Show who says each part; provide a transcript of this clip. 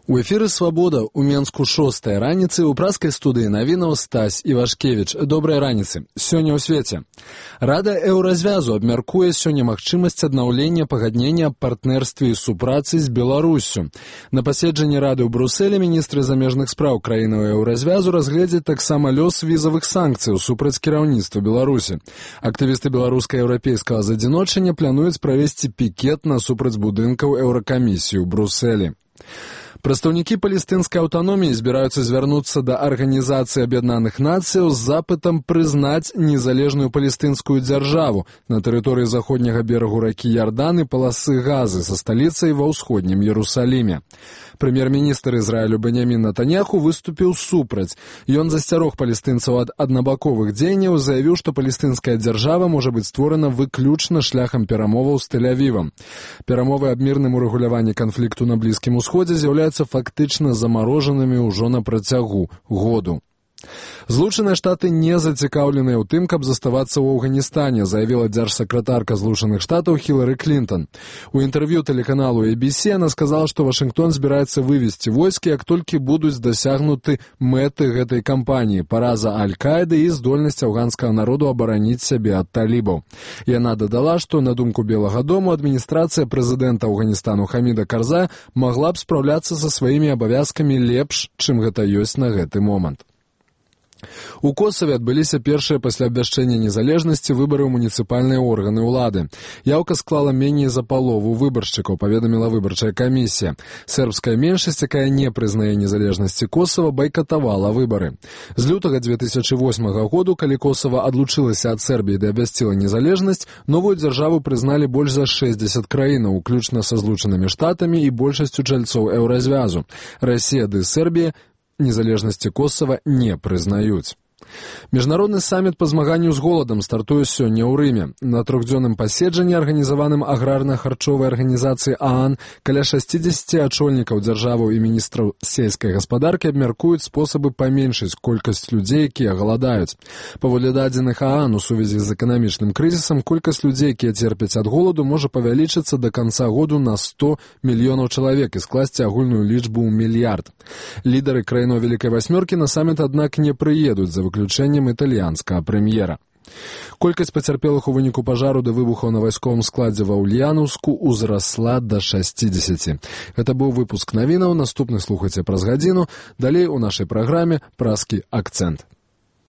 Speaker 1: У эфіры «Свабода» у Менску 6-я раніцы ў праскай студыі навінаў Стась Івашкевіч. Добрай раніцы. Сёння ў свеце. Рада Еўразвязу абмяркуе сёння магчымасць аднаўлення пагаднення аб партнерстве і супрацы з Беларуссю. На паседжанні Рады ў Брусэлі міністры замежных спраў краінаў Еўразвязу разгледзяць таксама лёс візавых санкцыяў супраць кіраўніцтва Беларусі. Актывісты беларуска-еўрапейскага задзіночання плануюць правесці пікет насупраць будынкаў Еўракамісіі ў Брусэлі. Прадстаўнікі палестынскай аўтаноміі збіраюцца звярнуцца да Арганізацыі Аб'яднаных Нацыяў з запытам прызнаць незалежную палестынскую дзяржаву на тэрыторыі заходняга берагу ракі Ярдан і паласы Газы са сталіцай ва ўсходнім Іерусаліме. Прэм'ер-міністр Ізраілю Беньямін Нетаньяху выступіў супраць. Ён засцярог палестынцаў ад аднабаковых дзеянняў, заявіў, што палестынская дзяржава можа быць створана выключна шляхам перамоваў з Тель-Авівам. Перамовы аб мірным урэгуляванні канфлікту на Блізкім Усходзе з'яўляюцца фактычна замарожанымі ўжо на працягу году. Злучаныя Штаты не зацікаўленыя ў тым, каб заставацца ў Афганістане, заявіла дзяржсакратарка Злучаных Штатаў Хілары Клінтон. У інтэрв'ю тэлеканалу ABC она сказала, што Вашынгтон збіраецца вывесці войскі, як толькі будуць дасягнуты мэты гэтай кампаніі, параза Аль-Каіды і здольнасць афганскага народу абараніць сябе ад талібаў. Яна дадала, што, на думку Белага дому, адміністрацыя прэзідэнта Афганістану Хаміда Карзая магла б спраўляцца са сваімі абавязкамі лепш, чым гэта ёсць на гэты момант. У Косаве адбыліся першыя пасля абвяшчэння незалежнасці выбары ў муніцыпальныя органы ўлады. Яўка склала меней за палову выбаршчыкаў, паведаміла выбарчая камісія. Сербская меншасць, якая не прызнае незалежнасці Косава, байкатавала выбары. З лютага 2008 году, калі Косава адлучылася ад Сербіі ды абвясціла незалежнасць, новую дзяржаву прызналі больш за 60 краінаў, уключна са Злучанымі Штатамі і большасцю чальцоў Еўразвязу. Расія ды Сербія незалежнасці Косава не прызнаюць. Міжнародны саміт па змаганню з голадам стартуе сёння ў Рыме. На трохдзённым паседжанні, арганізаваным аграрна-харчовай арганізацыі ААН, каля 60 ачольнікаў дзяржаваў і міністраў сельскай гаспадаркі абмяркуюць спосабы паменшыць колькасць людзей, якія галадаюць. Паводле дадзеных ААН у сувязі з эканамічным крызісам, колькасць людзей, якія церпяць ад голаду, можа павялічыцца да канца году на 100 мільёнаў чалавек і скласці агульную лічбу ў мільярд. Лідары краінаў Вялікай Васьмёркі на саміт, аднак, не прыедуць за выключэннем італьянскага прэм'ера. Колькасць пацярпелых у выніку пажару ды выбухаў на вайсковым складзе ва Ульянаўску ўзрасла да 60. Гэта быў выпуск навінаў, наступны слухайце праз гадзіну. Далей у нашай праграме «Праскі акцэнт».